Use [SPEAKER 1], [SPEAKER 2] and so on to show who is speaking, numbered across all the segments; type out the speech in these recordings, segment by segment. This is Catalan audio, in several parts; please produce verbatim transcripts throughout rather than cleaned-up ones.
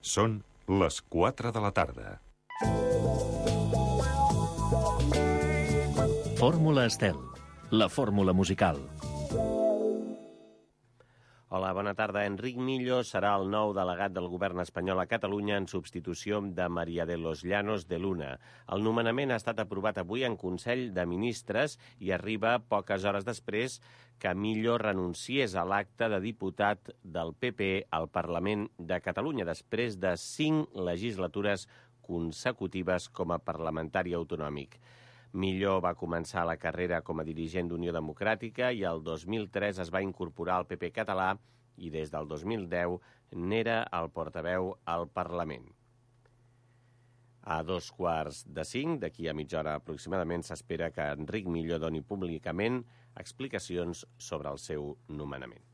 [SPEAKER 1] Són les quatre de la tarda.
[SPEAKER 2] Fórmula Estel, la fórmula musical.
[SPEAKER 3] Hola, bona tarda. Enric Millo serà el nou delegat del govern espanyol a Catalunya en substitució de María de los Llanos de Luna. El nomenament ha estat aprovat avui en Consell de Ministres i arriba poques hores després que Millo renunciés a l'acte de diputat del P P al Parlament de Catalunya després de cinc legislatures consecutives com a parlamentari autonòmic. Millo va començar la carrera com a dirigent d'Unió Democràtica i el dos mil tres es va incorporar al P P català i des del dos mil deu n'era el portaveu al Parlament. A dos quarts de cinc, d'aquí a mitja hora aproximadament, s'espera que Enric Millo doni públicament explicacions sobre el seu nomenament.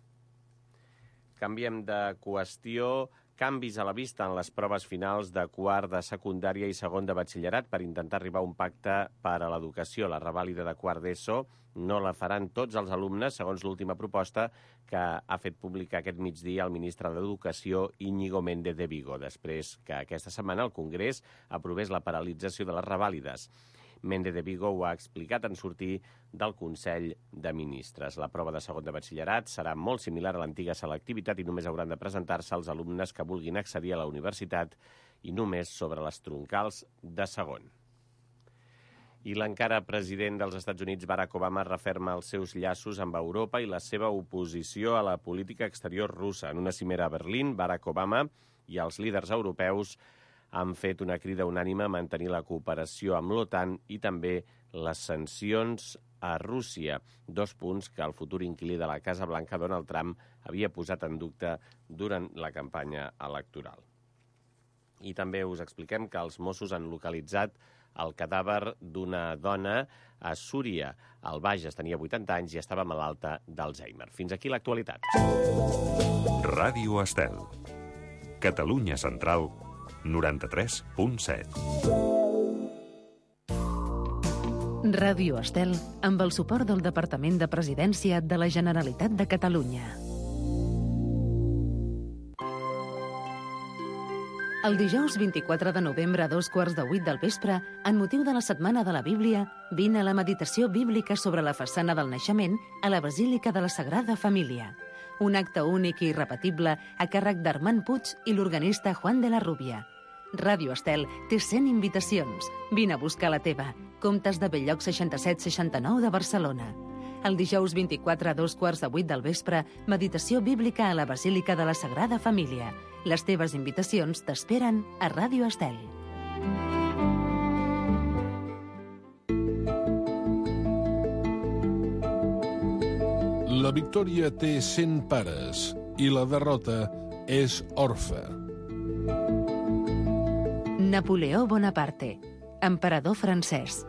[SPEAKER 3] Canviem de qüestió. Canvis a la vista en les proves finals de quart de secundària i segon de batxillerat per intentar arribar a un pacte per a l'educació. La revàlida de quart d'ESO no la faran tots els alumnes, segons l'última proposta que ha fet pública aquest migdia el ministre d'Educació, Íñigo Méndez de Vigo, després que aquesta setmana el Congrés aprovés la paralització de les revàlides. Méndez de Vigo ho ha explicat en sortir del Consell de Ministres. La prova de segon de batxillerat serà molt similar a l'antiga selectivitat i només hauran de presentar-se els alumnes que vulguin accedir a la universitat i només sobre les troncals de segon. I l'encara president dels Estats Units, Barack Obama, referma els seus llaços amb Europa i la seva oposició a la política exterior russa. En una cimera a Berlín, Barack Obama i els líders europeus han fet una crida unànime a mantenir la cooperació amb l'OTAN i també les sancions a Rússia, dos punts que el futur inquilí de la Casa Blanca, Donald Trump, havia posat en dubte durant la campanya electoral. I també us expliquem que els Mossos han localitzat el cadàver d'una dona a Súria. Al Bages tenia vuitanta anys i estava malalta d'Alzheimer. Fins aquí l'actualitat.
[SPEAKER 1] Ràdio Estel. Catalunya Central, noranta-tres punt set.
[SPEAKER 4] Ràdio Estel, amb el suport del Departament de Presidència de la Generalitat de Catalunya. El dijous vint-i-quatre de novembre a dos quarts de vuit del vespre, en motiu de la Setmana de la Bíblia, vine a la meditació bíblica sobre la façana del naixement a la Basílica de la Sagrada Família. Un acte únic i irrepetible a càrrec d'Armand Puig i l'organista Juan de la Rubia. Ràdio Estel té cent invitacions. Vine a buscar la teva. Comtes de Belllloc seixanta-set seixanta-nou de Barcelona. El dijous vint-i-quatre a dos quarts de vuit del vespre, meditació bíblica a la Basílica de la Sagrada Família. Les teves invitacions t'esperen a Ràdio Estel.
[SPEAKER 5] La victòria té cent pares i la derrota és orfe.
[SPEAKER 4] Napoleó Bonaparte, emperador francès.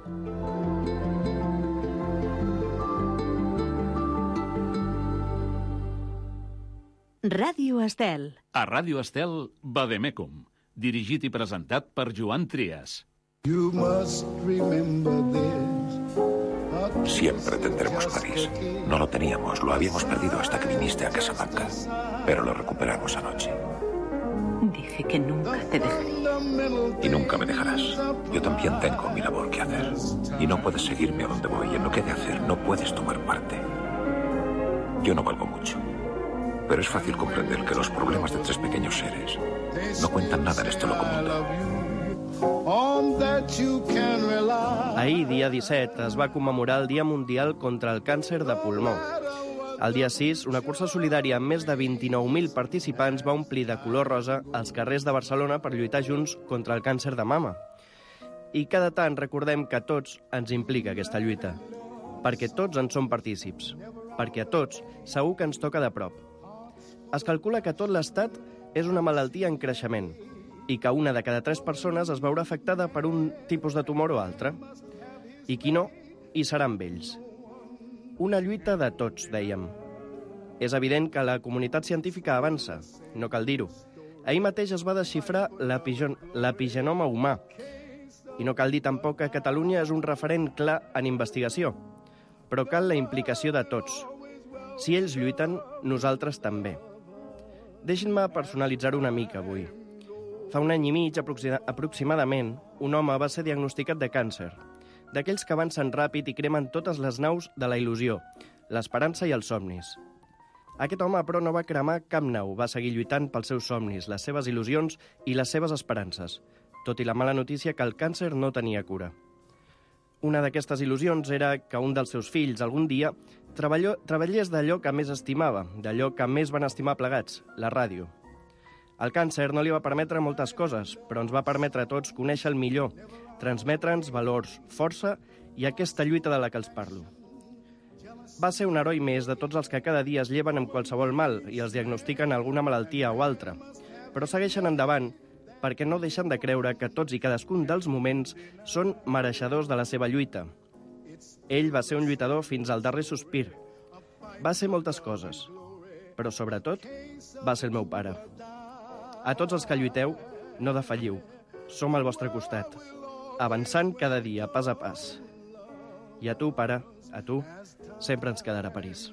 [SPEAKER 4] Ràdio Estel.
[SPEAKER 2] A Ràdio Estel, Vademecum, dirigit i presentat per Joan Trias.
[SPEAKER 6] You must remember this.
[SPEAKER 7] Siempre tendremos París. No lo teníamos, lo habíamos perdido hasta que viniste a Casablanca. Pero lo recuperamos anoche.
[SPEAKER 8] Dije que nunca te dejaría.
[SPEAKER 7] Y nunca me dejarás. Yo también tengo mi labor que hacer. Y no puedes seguirme a donde voy. En lo que he de hacer no puedes tomar parte. Yo no valgo mucho. Pero es fácil comprender que los problemas de tres pequeños seres no cuentan nada en este loco mundo.
[SPEAKER 9] Ahir, dia disset, es va commemorar el Dia Mundial contra el Càncer de Pulmó. El dia sis, una cursa solidària amb més de vint-i-nou mil participants va omplir de color rosa els carrers de Barcelona per lluitar junts contra el càncer de mama. I cada tant recordem que a tots ens implica aquesta lluita, perquè tots en som partícips, perquè a tots segur que ens toca de prop. Es calcula que tot l'Estat és una malaltia en creixement i que una de cada tres persones es veurà afectada per un tipus de tumor o altre. I qui no, hi serà amb ells. Una lluita de tots, dèiem. És evident que la comunitat científica avança, no cal dir-ho. Ahir mateix es va desxifrar l'epigenoma humà. I no cal dir tampoc que Catalunya és un referent clar en investigació. Però cal la implicació de tots. Si ells lluiten, nosaltres també. Deixin-me personalitzar-ho una mica avui. Fa un any i mig, aproximadament, un home va ser diagnosticat de càncer, d'aquells que avancen ràpid i cremen totes les naus de la il·lusió, l'esperança i els somnis. Aquest home, però, no va cremar cap nau, va seguir lluitant pels seus somnis, les seves il·lusions i les seves esperances, tot i la mala notícia que el càncer no tenia cura. Una d'aquestes il·lusions era que un dels seus fills, algun dia, treballés d'allò que més estimava, d'allò que més van estimar plegats, la ràdio. El càncer no li va permetre moltes coses, però ens va permetre a tots conèixer el millor, transmetre'ns valors, força i aquesta lluita de la que els parlo. Va ser un heroi més de tots els que cada dia es lleven amb qualsevol mal i els diagnostiquen alguna malaltia o altra, però segueixen endavant perquè no deixen de creure que tots i cadascun dels moments són mereixedors de la seva lluita. Ell va ser un lluitador fins al darrer sospir. Va ser moltes coses, però sobretot va ser el meu pare. A tots els que lluiteu, no defalliu. Som al vostre costat, avançant cada dia, pas a pas. I a tu, pare, a tu, sempre ens quedarà París.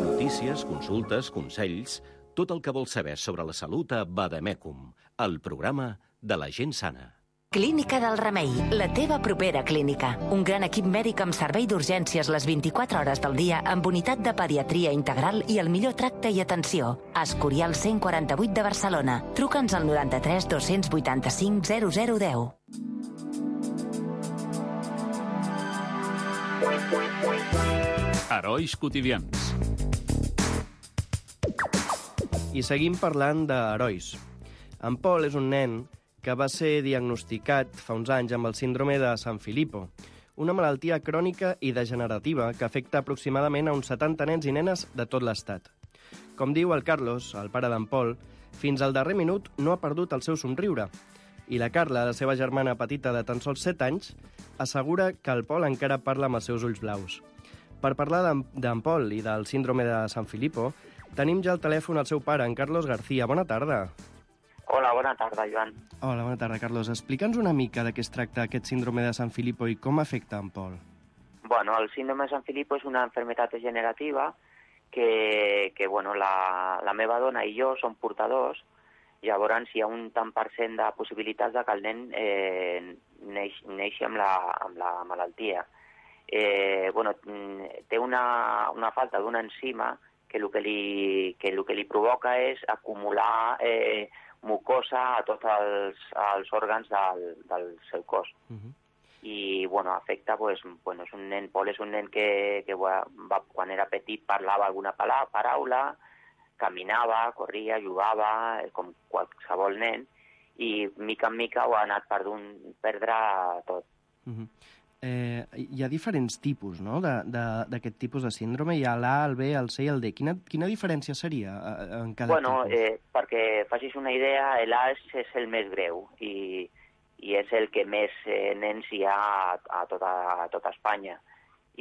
[SPEAKER 3] Notícies, consultes, consells, tot el que vols saber sobre la salut a Vademecum, el programa de la gent sana.
[SPEAKER 10] Clínica del Remei, la teva propera clínica. Un gran equip mèdic amb servei d'urgències les vint-i-quatre hores del dia amb unitat de pediatria integral i el millor tracte i atenció. Escorial cent quaranta-vuit de Barcelona. Truca'ns al noranta-tres dos-cents vuitanta-cinc zero zero deu.
[SPEAKER 2] Herois quotidians.
[SPEAKER 9] I seguim parlant d'herois. En Pol és un nen que va ser diagnosticat fa uns anys amb el síndrome de San Filippo, una malaltia crònica i degenerativa que afecta aproximadament a uns setanta nens i nenes de tot l'estat. Com diu el Carlos, el pare d'en Pol, fins al darrer minut no ha perdut el seu somriure. I la Carla, la seva germana petita de tan sols set anys, assegura que el Pol encara parla amb els seus ulls blaus. Per parlar d'en Pol i del síndrome de San Filippo, tenim ja al telèfon el seu pare, en Carlos García. Bona tarda.
[SPEAKER 11] Hola, bona tarda, Joan.
[SPEAKER 9] Hola, bona tarda, Carlos. Explica'ns una mica de què es tracta aquest síndrome de San Filippo i com afecta en Pol.
[SPEAKER 11] Bueno, el síndrome de San Filippo és una enfermedad degenerativa que, que bueno, la, la meva dona i jo som portadors. Llavors hi ha un tant per cent de possibilitats de que el nen eh, neix, neixi amb la, amb la malaltia. Eh, bueno, té una, una falta d'una enzima que el que, li, que el que li provoca és acumular eh, mucosa a tots els, els òrgans del, del seu cos. Uh-huh. I, bueno, afecta, pues, bueno, és un nen, Pol és un nen que, que va, quan era petit parlava alguna paraula, caminava, corria, jugava, com qualsevol nen, i mica en mica ho ha anat perdre tot.
[SPEAKER 9] Uh-huh. Eh, hi ha diferents tipus, no?, d'aquest tipus de síndrome. Hi ha l'A, el B, el C i el D. Quina, quina diferència seria en cada
[SPEAKER 11] bueno,
[SPEAKER 9] tipus?
[SPEAKER 11] Eh, perquè facis una idea, l'A és, és el més greu i, i és el que més eh, nens hi ha a, a, tota, a tota Espanya.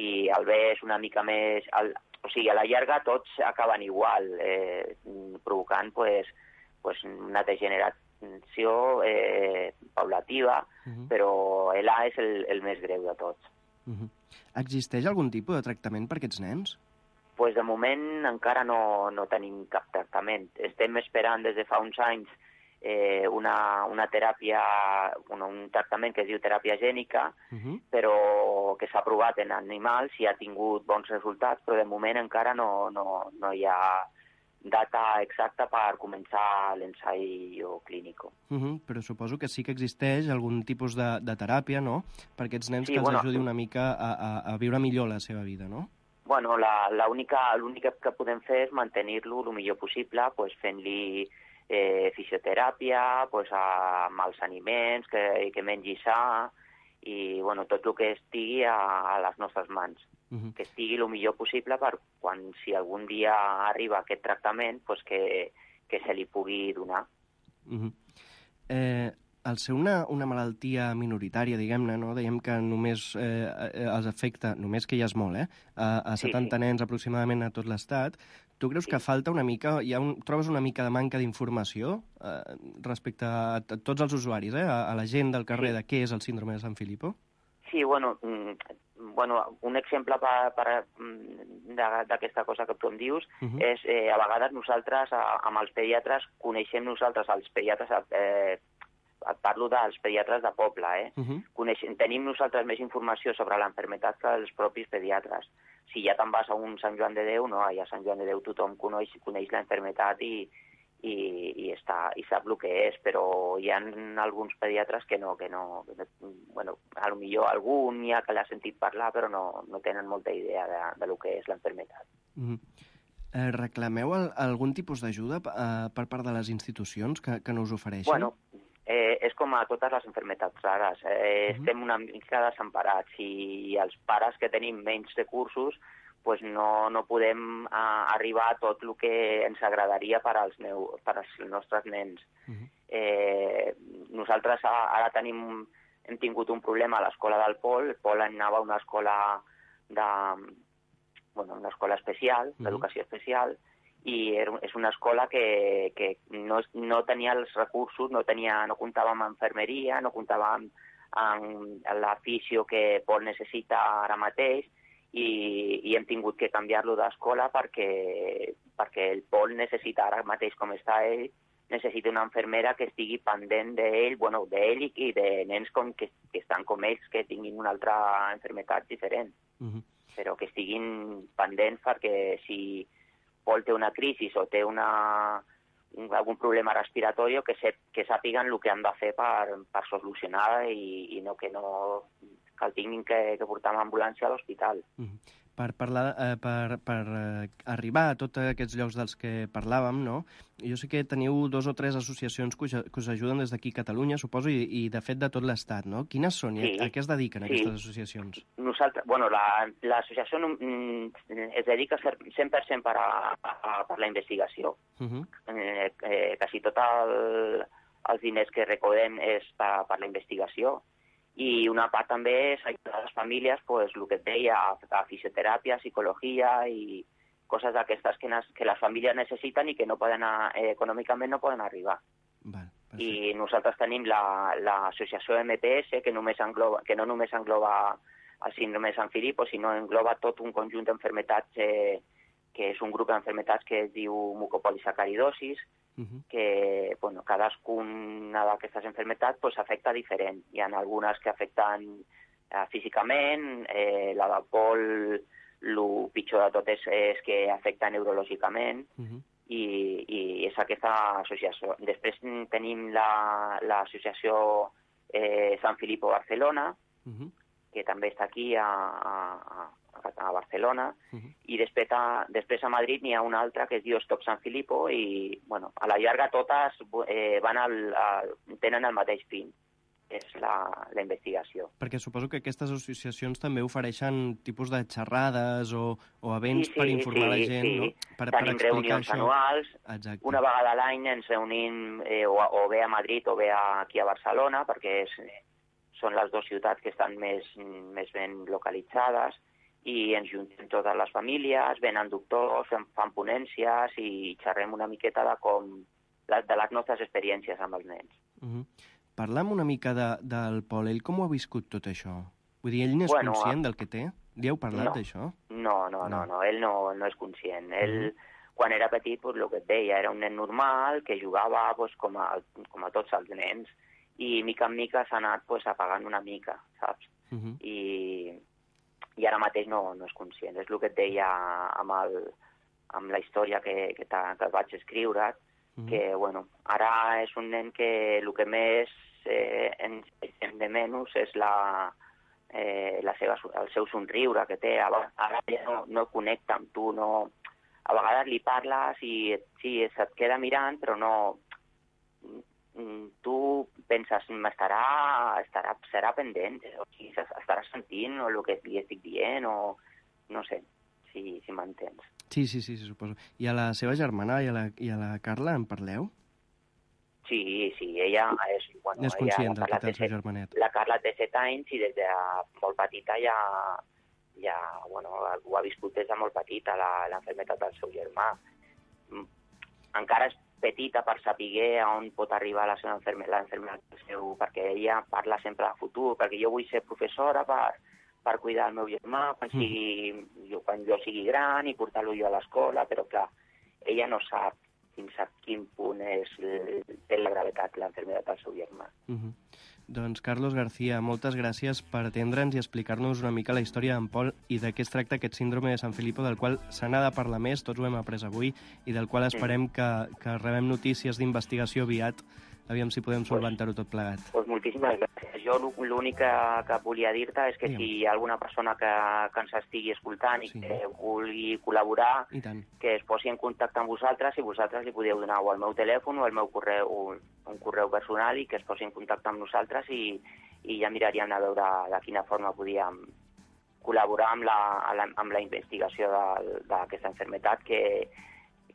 [SPEAKER 11] I el B és una mica més... El, o sigui, a la llarga tots acaben igual, eh, provocant pues, pues una degeneració Eh, paulativa, uh-huh. però l'A és el, el més greu de tots.
[SPEAKER 9] Uh-huh. Existeix algun tipus de tractament per aquests nens?
[SPEAKER 11] Pues de moment encara no, no tenim cap tractament. Estem esperant des de fa uns anys eh, una, una teràpia, un, un tractament que es diu teràpia gènica, uh-huh. però que s'ha provat en animals i ha tingut bons resultats, però de moment encara no, no, no hi ha data exacta per començar l'ensaio clínic.
[SPEAKER 9] Uh-huh, però suposo que sí que existeix algun tipus de, de teràpia, no?, per aquests nens sí, que els bueno, ajudi una mica a, a, a viure millor la seva vida, no?
[SPEAKER 11] Bueno, l'únic que podem fer és mantenir-lo el millor possible, pues, fent-li eh, fisioteràpia, pues, amb els aliments, que, que mengi sa, i bueno, tot el que estigui a, a les nostres mans. Uh-huh. Que estigui el millor possible per quan, si algun dia arriba aquest tractament, pues que, que se li pugui donar.
[SPEAKER 9] Uh-huh. eh, al ser una, una malaltia minoritària, diguem-ne, no? Dèiem que només eh, els afecta, només que ja és molt, eh? a, a setanta sí, sí. nens aproximadament a tot l'estat. Tu creus sí. que falta una mica, hi ha un, trobes una mica de manca d'informació eh, respecte a, a tots els usuaris, eh? a, a la gent del carrer, sí. de què és el síndrome de San Filippo?
[SPEAKER 11] Sí, bueno, bueno un exemple d'aquesta cosa que tu em dius uh -huh. és, eh, a vegades nosaltres, amb els pediatres, coneixem nosaltres els pediatres, eh, parlo dels pediatres de poble, eh? Uh -huh. Coneixem, tenim nosaltres més informació sobre l'enfermetat que els propis pediatres. Si ja te'n vas a un Sant Joan de Déu, no, a Sant Joan de Déu tothom coneix, coneix l'enfermetat i I, i, està, i sap el que és, però hi ha alguns pediatres que no, que no, que, bueno, a lo millor algun hi ha que l'ha sentit parlar, però no, no tenen molta idea de, de lo que és l'enfermetat.
[SPEAKER 9] Mm. Eh, reclameu el, algun tipus d'ajuda eh, per part de les institucions que, que no us ofereixen?
[SPEAKER 11] Bueno, eh, és com a totes les enfermetats rares. Eh, uh-huh. Estem una mica desemparats i els pares que tenim menys recursos pues no, no podem uh, arribar a tot el que ens agradaria per als, meu, per als nostres nens. Uh-huh. eh, nosaltres ara tenim, hem tingut un problema a l'escola del Pol. El Pol anava a una escola, de, bueno, una escola especial, uh-huh. d'educació especial, i és una escola que, que no, no tenia els recursos, no, tenia, no comptava amb infermeria, no comptava amb, amb l'afició que Pol necessita ara mateix, I, i hem tingut que canviar-lo d'escola perquè, perquè el Pol necessita, ara mateix com està ell, necessita una infermera que estigui pendent d'ell, bueno, d'ell i, i de nens com que, que estan com ells, que tinguin una altra enfermetat diferent, uh-huh. però que estiguin pendents perquè si Pol té una crisi o té una, un, algun problema respiratori, que, se, que sàpiguen el que han de fer per, per solucionar i, i no que no... que el tinguin que, que portar amb ambulància a l'hospital.
[SPEAKER 9] Mm. Per, parlar, eh, per, per eh, arribar a tots aquests llocs dels que parlàvem, no? Jo sé que teniu dos o tres associacions que us, que us ajuden des d'aquí a Catalunya, suposo, i, i de fet de tot l'Estat, no? Quines són i sí. a, a què es dediquen sí. aquestes associacions?
[SPEAKER 11] Nosaltres, bueno, l'associació la, es dedica cent per cent per a, a, per la investigació. Uh-huh. eh, eh, quasi tot el, els diners que recordem és per, per la investigació. I una part també és ajudar a les famílies, pues, el que et deia, a, a fisioteràpia, psicologia i coses d'aquestes que, que les famílies necessiten i que no poden, eh, econòmicament no poden arribar.
[SPEAKER 9] Val,
[SPEAKER 11] I nosaltres tenim l'associació la, M P S, que, només engloba, que no només engloba el síndrome de Sant Filippo, sinó engloba tot un conjunt d'enfermetats, eh, que és un grup d'enfermetats que es diu mucopolisacaridosis, Uh-huh. que bueno, cadascuna d'aquestes enfermetats pues, afecta diferent. Hi ha algunes que afecten eh, físicament, eh, la del Pol, el pitjor de tot és, és que afecta neurològicament, uh-huh. i, i és aquesta associació. Després tenim l'associació la, eh, Sant Filippo Barcelona, uh-huh. que també està aquí a, a, a Barcelona, uh-huh. i després a, després a Madrid n'hi ha una altra que es diu Stop Sant Filippo i, bueno, a la llarga totes eh, van al, al, tenen el mateix fin, és la, la investigació.
[SPEAKER 9] Perquè suposo que aquestes associacions també ofereixen tipus de xerrades o, o events sí, sí, per informar sí, la gent, sí. no? Per,
[SPEAKER 11] Tenim per reunions això. anuals,
[SPEAKER 9] Exacte.
[SPEAKER 11] Una vegada a l'any ens reunim eh, o, o bé a Madrid o bé a, aquí a Barcelona, perquè és, són les dues ciutats que estan més, més ben localitzades, i ens juntem totes les famílies, venen doctors, fan, fan ponències i xerrem una miqueta de com de les nostres experiències amb els nens.
[SPEAKER 9] Uh-huh. Parlam una mica de, del Pol. Ell com ho ha viscut tot això? Vull dir, ell n'és
[SPEAKER 11] bueno,
[SPEAKER 9] conscient del que té? Li heu parlat
[SPEAKER 11] no,
[SPEAKER 9] d'això?
[SPEAKER 11] No, no, no, no, ell no, no és conscient. Ell, uh-huh. quan era petit, pues, el que et deia, era un nen normal que jugava pues, com, a, com a tots els nens i mica en mica s'ha anat pues, apagant una mica, saps? Uh-huh. I... i ara mateix no, no és conscient. És el que et deia amb, el, amb la història que, que, que vaig escriure, mm. que bueno, ara és un nen que el que més eh, ens deixem de menys és la, eh, la seva, el seu somriure que té. Ara ja no, no connecta amb tu, no... a vegades li parles i sí, se't queda mirant, però no... tu penses, estarà, estarà, serà pendent, o sigui, estarà sentint el que li estic dient, o no sé, si, si m'entens.
[SPEAKER 9] Sí, sí, sí, suposo. I a la seva germana i a la, i a la Carla en parleu?
[SPEAKER 11] Sí, sí, ella és... Bueno,
[SPEAKER 9] és conscient
[SPEAKER 11] ella,
[SPEAKER 9] del que té el seu germanet.
[SPEAKER 11] La Carla té set anys i des de molt petita ja, ja bueno, ho ha viscut des de molt petita, l'enfermetat del seu germà. Encara és petita per saber on pot arribar la seva enfermedad, seu, perquè ella parla sempre de futur, perquè jo vull ser professora per, per cuidar el meu germà quan, sigui, jo, quan jo sigui gran i portar-lo jo a l'escola, però clar, ella no sap fins a quin punt és, té la gravetat l'enfermedad del seu germà.
[SPEAKER 9] Uh-huh. Doncs, Carlos García, moltes gràcies per atendre'ns i explicar-nos una mica la història d'en Pol i de què es tracta aquest síndrome de Sanfilippo, del qual se n'ha de parlar més, tots ho hem après avui, i del qual esperem que, que rebem notícies d'investigació aviat, aviam si podem solventar-ho tot plegat.
[SPEAKER 11] Pues moltíssimes gràcies. Jo l'únic que, que volia dir-te és que Digue'm. si hi ha alguna persona que, que ens estigui escoltant i sí. que vulgui col·laborar, que es posi en contacte amb vosaltres i vosaltres li podeu donar o el meu telèfon o el meu correu, un correu personal i que es posi en contacte amb nosaltres i, i ja miraríem a veure de quina forma podíem col·laborar amb la, amb la investigació d'aquesta malaltia que,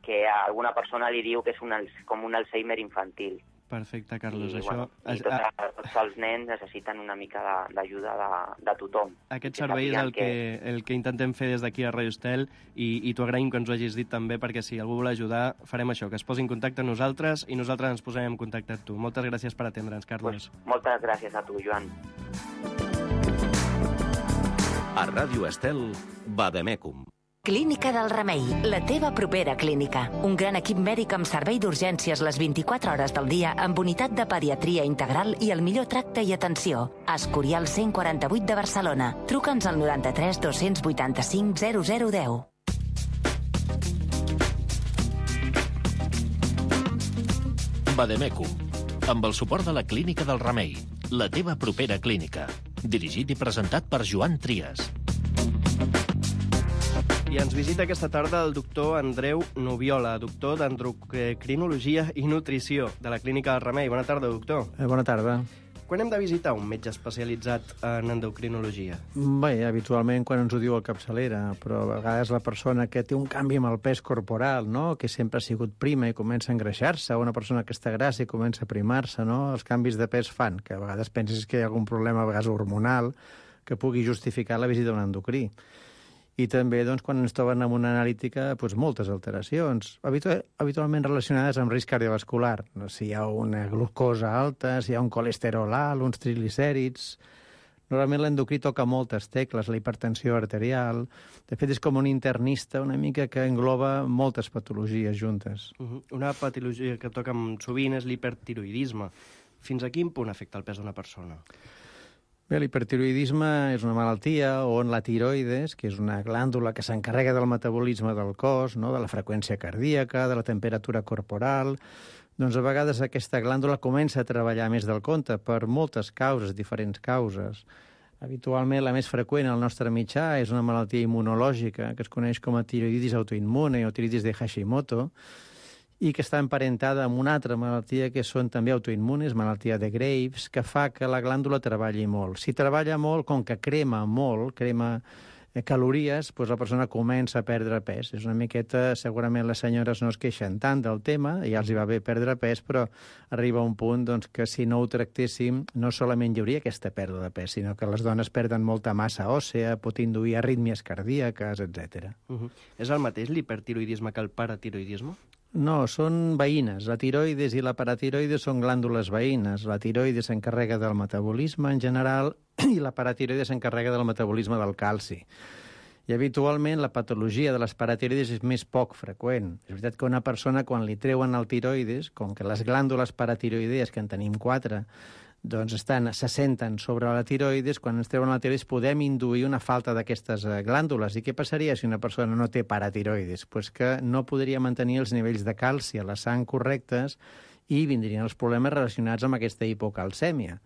[SPEAKER 11] que a alguna persona li diu que és un, com un Alzheimer infantil.
[SPEAKER 9] Perfecte, Carlos.
[SPEAKER 11] I,
[SPEAKER 9] això...
[SPEAKER 11] bueno, i tots, tots els nens necessiten una mica d'ajuda de, de, de tothom.
[SPEAKER 9] Aquest servei és el que, que, el que intentem fer des d'aquí a Radio Estel i, i t'ho agraïm que ens ho hagis dit també, perquè si algú vol ajudar farem això, que es posi en contacte amb nosaltres i nosaltres ens posarem en contacte amb tu. Moltes gràcies per atendre'ns, Carlos.
[SPEAKER 11] Pues, moltes gràcies a tu, Joan.
[SPEAKER 1] A Ràdio Estel, Vademecum.
[SPEAKER 10] Clínica del Remei, la teva propera clínica. Un gran equip mèdic amb servei d'urgències les vint-i-quatre hores del dia amb unitat de pediatria integral i el millor tracte i atenció. Escorial cent quaranta-vuit de Barcelona. Truca'ns al noranta-tres dos-cents vuitanta-cinc zero zero deu.
[SPEAKER 12] Vademecum, amb el suport de la Clínica del Remei, la teva propera clínica. Dirigit i presentat per Joan Trias.
[SPEAKER 9] I ens visita aquesta tarda el doctor Andreu Nubiola, doctor d'endocrinologia i nutrició de la Clínica del Remei. Bona tarda, doctor.
[SPEAKER 13] Eh, bona tarda.
[SPEAKER 9] Quan hem de visitar un metge especialitzat en endocrinologia?
[SPEAKER 13] Bé, habitualment quan ens ho diu el capçalera, però a vegades la persona que té un canvi amb el pes corporal, no?, que sempre ha sigut prima i comença a engreixar-se, o una persona que està grassa i comença a primar-se, no?, els canvis de pes fan que a vegades penses que hi ha algun problema, a vegades hormonal, que pugui justificar la visita a un endocrí. I també, doncs, quan ens troben amb una analítica, doncs, moltes alteracions, habitu- habitualment relacionades amb risc cardiovascular. No? Si hi ha una glucosa alta, si hi ha un colesterol alt, uns triglicèrids... Normalment l'endocrí toca moltes tecles, la hipertensió arterial... De fet, és com un internista una mica que engloba moltes patologies juntes.
[SPEAKER 9] Uh-huh. Una patologia que toca sovint és l'hipertiroidisme. Fins a quin punt afecta el pes d'una persona?
[SPEAKER 13] Bé, l'hipertiroidisme és una malaltia on la tiroides, que és una glàndula que s'encarrega del metabolisme del cos, no?, de la freqüència cardíaca, de la temperatura corporal, doncs a vegades aquesta glàndula comença a treballar més del compte per moltes causes, diferents causes. Habitualment la més freqüent al nostre mitjà és una malaltia immunològica que es coneix com a tiroiditis autoimmune o tiroiditis de Hashimoto, i que està emparentada amb una altra malaltia que són també autoimmunes, malaltia de Graves, que fa que la glàndula treballi molt. Si treballa molt, com que crema molt, crema calories, doncs la persona comença a perdre pes. És una miqueta, segurament les senyores no es queixen tant del tema, ja els hi va bé perdre pes, però arriba un punt doncs, que si no ho tractéssim, no solament hi hauria aquesta pèrdua de pes, sinó que les dones perden molta massa òssea, pot induir arrítmies cardíaques, etcètera.
[SPEAKER 9] Uh-huh. És el mateix l'hipertiroidisme que el paratiroidisme?
[SPEAKER 13] No, són veïnes. La tiroides i la paratiroides són glàndules veïnes. La tiroides s'encarrega del metabolisme en general i la paratiroides s'encarrega del metabolisme del calci. I habitualment la patologia de les paratiroides és més poc freqüent. És veritat que una persona, quan li treuen el tiroides, com que les glàndules paratiroidees, que en tenim quatre, doncs estan, se senten sobre la tiroides, quan ens treuen la tiroides podem induir una falta d'aquestes glàndules. I què passaria si una persona no té paratiroides? Pues que no podria mantenir els nivells de calci a la sang correctes i vindrien els problemes relacionats amb aquesta hipocalcèmia,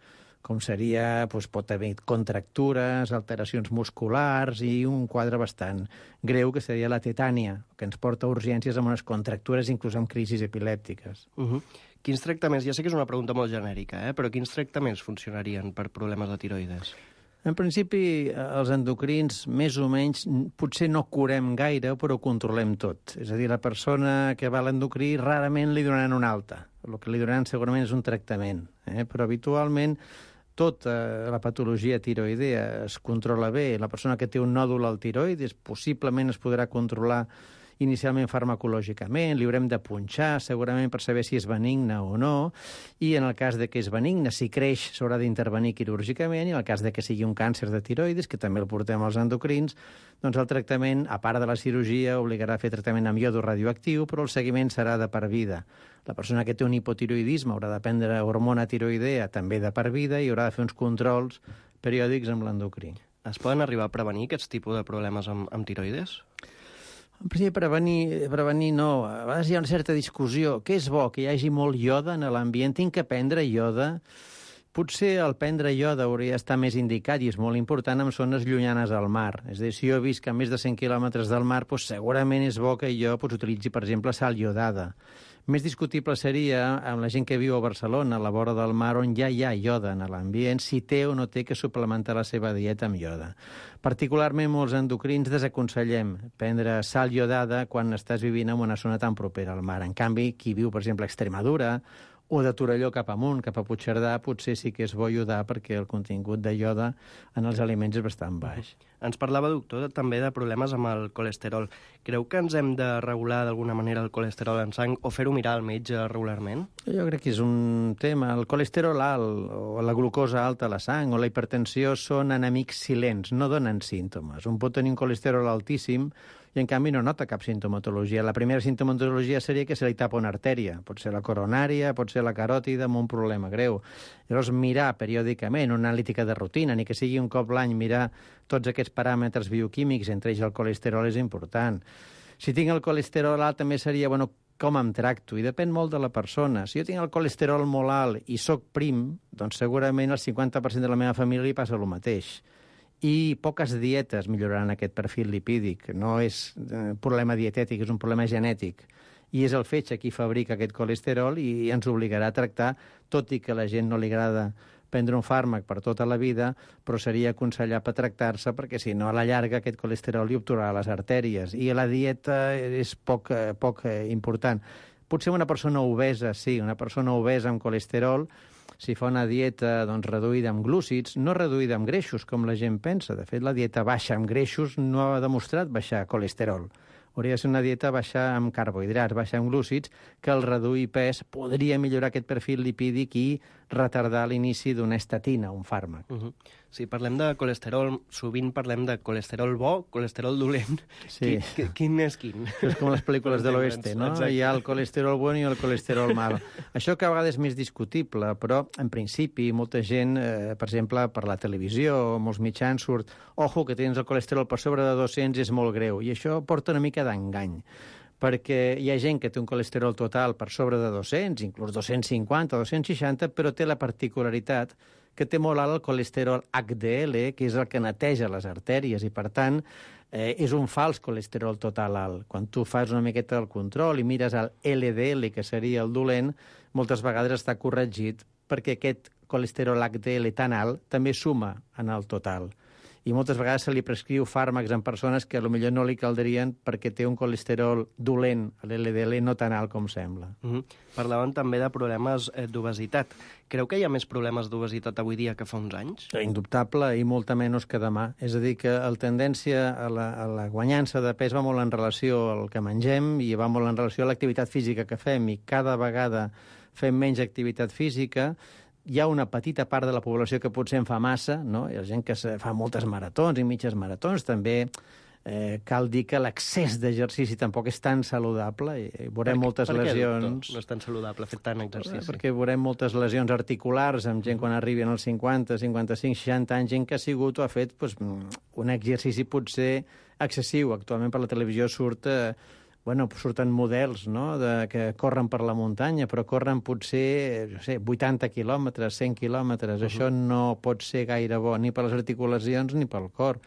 [SPEAKER 13] com seria, doncs, pot haver contractures, alteracions musculars i un quadre bastant greu que seria la tetània, que ens porta a urgències amb unes contractures, inclús amb crisis epilèptiques.
[SPEAKER 9] Uh-huh. Quins tractaments, ja sé que és una pregunta molt genèrica, eh? però quins tractaments funcionarien per problemes de tiroides?
[SPEAKER 13] En principi, els endocrins, més o menys, potser no curem gaire, però ho controlem tot. És a dir, la persona que va a l'endocrí rarament li donaran una alta. El que li donaran segurament és un tractament, eh? però habitualment tota la patologia tiroidea es controla bé. La persona que té un nòdul al tiroides possiblement es podrà controlar inicialment farmacològicament, li haurem de punxar segurament per saber si és benigne o no, i en el cas de que és benigne, si creix, s'haurà d'intervenir quirúrgicament, i en el cas de que sigui un càncer de tiroides, que també el portem als endocrins, doncs el tractament, a part de la cirurgia, obligarà a fer tractament amb iodo radioactiu, però el seguiment serà de per vida. La persona que té un hipotiroidisme haurà de prendre hormona tiroidea també de per vida i haurà de fer uns controls periòdics amb l'endocrí.
[SPEAKER 9] Es poden arribar a prevenir aquests tipus de problemes amb, amb tiroides?
[SPEAKER 13] En principi, prevenir, prevenir no. A vegades hi ha una certa discussió. Què és bo? Que hi hagi molt ioda en l'ambient? Tinc que prendre ioda? Potser el prendre ioda hauria d'estar més indicat i és molt important en zones llunyanes al mar. És a dir, si jo visc a més de cent quilòmetres del mar, doncs segurament és bo que jo doncs, utilitzi, per exemple, sal iodada. Més discutible seria amb la gent que viu a Barcelona, a la vora del mar, on ja hi ha ioda en l'ambient, si té o no té que suplementar la seva dieta amb ioda. Particularment molts endocrins desaconsellem prendre sal iodada quan estàs vivint en una zona tan propera al mar. En canvi, qui viu, per exemple, a Extremadura o de Torelló cap amunt, cap a Puigcerdà, potser sí que és bo iodar perquè el contingut de ioda en els aliments és bastant baix.
[SPEAKER 9] Ens parlava, doctor, també de problemes amb el colesterol. Creu que ens hem de regular d'alguna manera el colesterol en sang o fer-ho mirar al metge regularment?
[SPEAKER 13] Jo crec que és un tema. El colesterol alt o la glucosa alta a la sang o la hipertensió són enemics silents, no donen símptomes. Un pot tenir un colesterol altíssim i en canvi no nota cap sintomatologia. La primera sintomatologia seria que se li tapa una artèria. Pot ser la coronària, pot ser la caròtida, amb un problema greu. Llavors, mirar periòdicament una analítica de rutina, ni que sigui un cop l'any, mirar tots aquests paràmetres bioquímics, entre ells el colesterol, és important. Si tinc el colesterol alt, també seria, bueno, com em tracto, i depèn molt de la persona. Si jo tinc el colesterol molt alt i soc prim, doncs segurament el cinquanta per cent de la meva família li passa el mateix. I poques dietes milloraran aquest perfil lipídic. No és un problema dietètic, és un problema genètic. I és el fetge qui fabrica aquest colesterol i ens obligarà a tractar, tot i que a la gent no li agrada prendre un fàrmac per tota la vida, però seria aconsellable tractar-se perquè, si no, a la llarga aquest colesterol li obturarà les artèries. I la dieta és poc, poc important. Potser una persona obesa, sí, una persona obesa amb colesterol, si fa una dieta doncs, reduïda amb glúcids, no reduïda amb greixos, com la gent pensa. De fet, la dieta baixa amb greixos no ha demostrat baixar colesterol. Hauria de ser una dieta baixa amb carbohidrats, baixa amb glúcids, que al reduir pes podria millorar aquest perfil lipídic i retardar l'inici d'una estatina, un fàrmac.
[SPEAKER 9] Uh -huh. Si parlem de colesterol, sovint parlem de colesterol bo, colesterol dolent.
[SPEAKER 13] Sí.
[SPEAKER 9] Quin, quin és quin?
[SPEAKER 13] És com les pel·lícules de l'oeste, no? Exacte. Hi ha el colesterol bon i el colesterol mal. Això que a vegades és més discutible, però en principi molta gent, eh, per exemple, per la televisió, molts mitjans surt, ojo, que tens el colesterol per sobre de dos-cents és molt greu, i això porta una mica d'engany, perquè hi ha gent que té un colesterol total per sobre de dos-cents, inclús dos-cents cinquanta, dos-cents seixanta, però té la particularitat que té molt alt el colesterol H D L, que és el que neteja les artèries, i per tant eh, és un fals colesterol total alt. Quan tu fas una miqueta el control i mires el L D L, que seria el dolent, moltes vegades està corregit perquè aquest colesterol H D L tan alt també suma en el total. I moltes vegades se li prescriu fàrmacs en persones que potser no li caldrien perquè té un colesterol dolent, l'L D L, no tan alt com sembla.
[SPEAKER 9] Uh -huh. Parlaven també de problemes eh, d'obesitat. Creu que hi ha més problemes d'obesitat avui dia que fa uns anys?
[SPEAKER 13] Indubtable, i molta menys que demà. És a dir, que la tendència a la, a la guanyança de pes va molt en relació al que mengem i va molt en relació a l'activitat física que fem, i cada vegada fem menys activitat física. Hi ha una petita part de la població que potser en fa massa, no? Hi ha gent que fa moltes maratons i mitges maratons. També eh, cal dir que l'excés d'exercici tampoc és tan saludable. I veurem
[SPEAKER 9] per,
[SPEAKER 13] moltes
[SPEAKER 9] per què,
[SPEAKER 13] lesions...
[SPEAKER 9] Doctor, no és tan saludable fer tant exercici?
[SPEAKER 13] Perquè veurem moltes lesions articulars amb gent quan arriben als cinquanta, cinquanta-cinc, seixanta anys, gent que ha sigut o ha fet doncs, un exercici potser excessiu. Actualment per la televisió surt... Eh, Bueno, surten models, no?, de, que corren per la muntanya, però corren potser, no sé, vuitanta quilòmetres, cent quilòmetres. Uh-huh. Això no pot ser gaire bo, ni per les articulacions ni pel cor.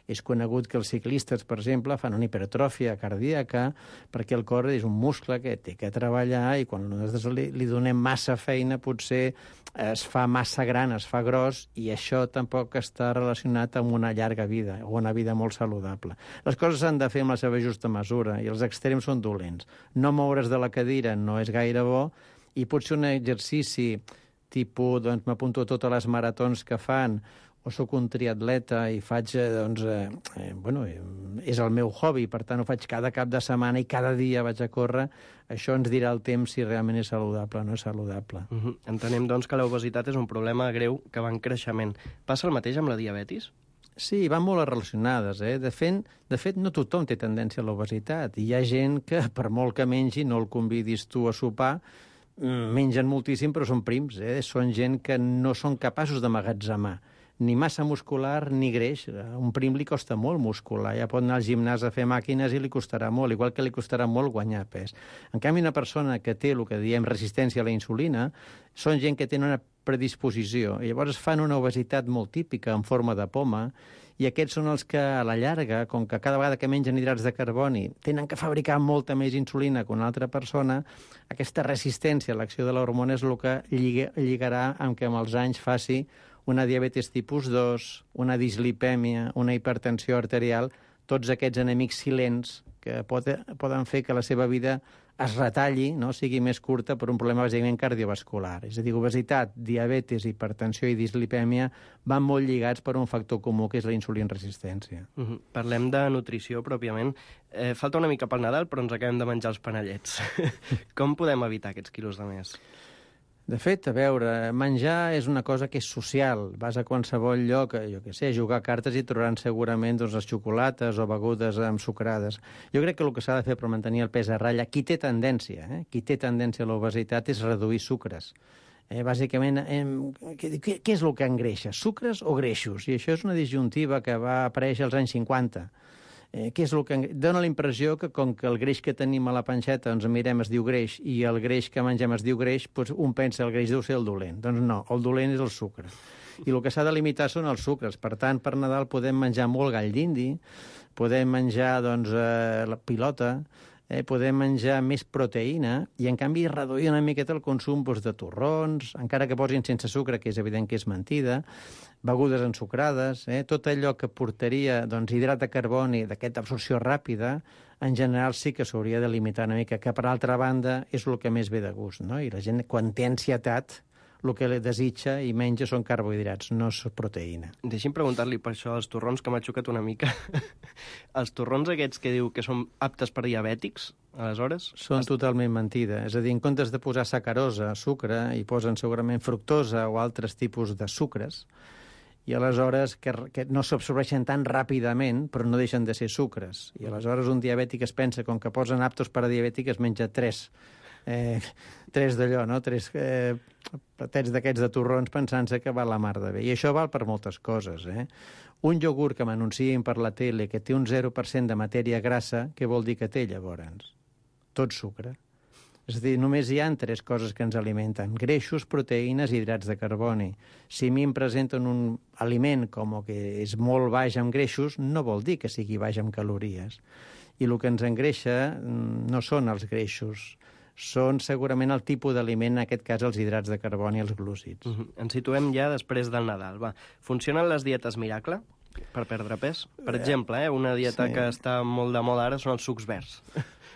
[SPEAKER 13] És conegut que els ciclistes, per exemple, fan una hipertròfia cardíaca perquè el cor és un muscle que té que treballar i quan nosaltres li, li donem massa feina potser es fa massa gran, es fa gros, i això tampoc està relacionat amb una llarga vida o una vida molt saludable. Les coses s'han de fer amb la seva justa mesura i els extrems són dolents. No moure's de la cadira no és gaire bo, i potser un exercici tipus, doncs m'apunto a totes les maratons que fan, o sóc un triatleta i faig, eh, doncs, eh, eh, bueno, eh, és el meu hobby, per tant ho faig cada cap de setmana i cada dia vaig a córrer, això ens dirà el temps si realment és saludable o no és saludable.
[SPEAKER 9] Uh -huh. Entenem, doncs, que l'obesitat és un problema greu que va en creixement. Passa el mateix amb la diabetis?
[SPEAKER 13] Sí, van molt relacionades. Eh? De, fet, de fet, no tothom té tendència a l'obesitat. Hi ha gent que, per molt que mengi, no el convidis tu a sopar, mengen moltíssim, però són prims. Eh? Són gent que no són capaços d'emmagatzemar ni massa muscular ni greix. A un prim li costa molt muscular. Ja pot anar al gimnàs a fer màquines i li costarà molt, igual que li costarà molt guanyar pes. En canvi, una persona que té el que diem resistència a la insulina són gent que tenen una predisposició. I llavors fan una obesitat molt típica en forma de poma, i aquests són els que, a la llarga, com que cada vegada que mengen hidrats de carboni tenen que fabricar molta més insulina que una altra persona, aquesta resistència a l'acció de l'hormona és el que lligarà amb que amb els anys faci una diabetis tipus dos, una dislipèmia, una hipertensió arterial, tots aquests enemics silents que pot, poden fer que la seva vida es retalli, no? Sigui més curta per un problema bàsicament cardiovascular. És a dir, obesitat, diabetis, hipertensió i dislipèmia van molt lligats per un factor comú, que és la insulinresistència.
[SPEAKER 9] Uh -huh. Parlem de nutrició, pròpiament. Eh, falta una mica pel Nadal, però ens acabem de menjar els panellets. Com podem evitar aquests quilos de més?
[SPEAKER 13] De fet, a veure, menjar és una cosa que és social. Vas a qualsevol lloc, jo què sé, a jugar a cartes i trobaran segurament doncs, les xocolates o begudes ensucrades. Jo crec que el que s'ha de fer per mantenir el pes a ratlla, qui té tendència, eh? qui té tendència a l'obesitat és reduir sucres. Eh, bàsicament, eh, què, què és el que engreixa? Sucres o greixos? I això és una disjuntiva que va aparèixer als anys cinquanta. Eh, què és el que dona la impressió que com que el greix que tenim a la panxeta ens mirem es diu greix i el greix que mengem es diu greix, doncs un pensa el greix deu ser el dolent. Doncs no, el dolent és el sucre. I el que s'ha de limitar són els sucres. Per tant, per Nadal podem menjar molt gall d'indi, podem menjar doncs, eh, la pilota, eh, podem menjar més proteïna i, en canvi, reduir una miqueta el consum doncs, de torrons, encara que posin sense sucre, que és evident que és mentida, begudes ensucrades, eh, tot allò que portaria doncs, hidrat de carboni d'aquesta absorció ràpida, en general sí que s'hauria de limitar una mica, que per altra banda és el que més ve de gust, no? I la gent, quan té ansietat, el que desitja i menja són carbohidrats, no és proteïna.
[SPEAKER 9] Deixi'm preguntar-li per això dels torrons, que m'ha xocat una mica. Els torrons aquests que diu que són aptes per diabètics, aleshores...
[SPEAKER 13] Són totalment mentida. És a dir, en comptes de posar sacarosa, sucre, hi posen segurament fructosa o altres tipus de sucres, i aleshores que, que no s'absorbeixen tan ràpidament, però no deixen de ser sucres. I aleshores un diabètic es pensa, com que posen aptos per a diabètic, es menja tres, eh, tres d'allò, no? Tres eh, platets d'aquests de torrons pensant-se que va la mar de bé. I això val per moltes coses, eh? Un iogurt que m'anuncien per la tele que té un zero per cent de matèria grassa, què vol dir que té, llavors? Tot sucre. És a dir, només hi ha tres coses que ens alimenten: greixos, proteïnes i hidrats de carboni. Si a mi em presenten un aliment com que és molt baix en greixos, no vol dir que sigui baix en calories. I el que ens engreixa no són els greixos, són segurament el tipus d'aliment, en aquest cas els hidrats de carboni i els glúcids.
[SPEAKER 9] Uh -huh. Ens situem ja després del Nadal. Va. Funcionen les dietes miracle per perdre pes? Per exemple, eh, una dieta sí. que està molt de moda ara són els sucs verds.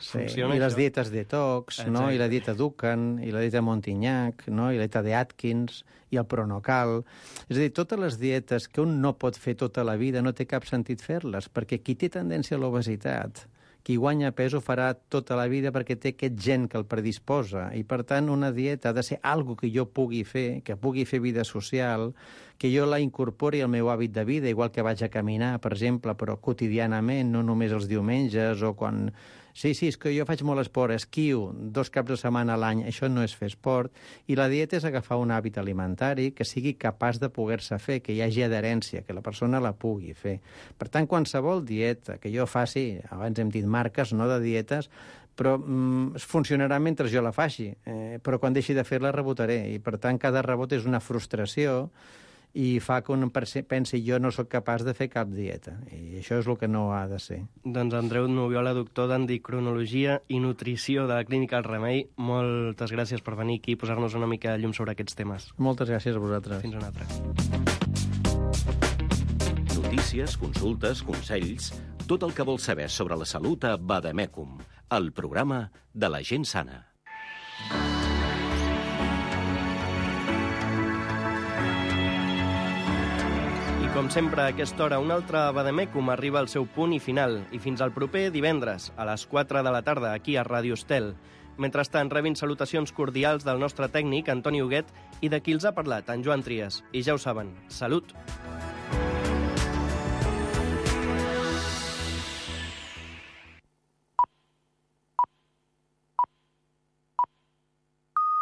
[SPEAKER 13] Sí, i les dietes detox, no? I la dieta Dukan, i la dieta Montignac, no? I la dieta de Atkins, i el Pronocal. És a dir, totes les dietes que un no pot fer tota la vida no té cap sentit fer-les, perquè qui té tendència a l'obesitat, qui guanya pes ho farà tota la vida perquè té aquest gen que el predisposa. I, per tant, una dieta ha de ser algo que jo pugui fer, que pugui fer vida social, que jo la incorpori al meu hàbit de vida, igual que vaig a caminar, per exemple, però quotidianament, no només els diumenges o quan... Sí, sí, és que jo faig molt esport, esquio dos caps de setmana a l'any, això no és fer esport. I la dieta és agafar un hàbit alimentari que sigui capaç de poder-se fer, que hi hagi adherència, que la persona la pugui fer. Per tant, qualsevol dieta que jo faci, abans hem dit marques, no de dietes, però mm, funcionarà mentre jo la faci, eh, però quan deixi de fer-la rebotaré. I, per tant, cada rebot és una frustració i fa que un pensi jo no sóc capaç de fer cap dieta. I això és el que no ha de ser.
[SPEAKER 9] Doncs Andreu Nubiola, doctor d'Endocrinologia i Nutrició de la Clínica El Remei, moltes gràcies per venir aquí i posar-nos una mica de llum sobre aquests temes.
[SPEAKER 13] Moltes gràcies a vosaltres.
[SPEAKER 9] Fins una altra.
[SPEAKER 1] Notícies, consultes, consells, tot el que vols saber sobre la salut a Vademecum, el programa de la gent sana.
[SPEAKER 9] Com sempre, a aquesta hora, un altre Vademecum arriba al seu punt i final. I fins al proper divendres, a les quatre de la tarda, aquí a Ràdio Estel. Mentrestant, rebin salutacions cordials del nostre tècnic, Antoni Huguet, i de qui els ha parlat, en Joan Trias. I ja ho saben, salut!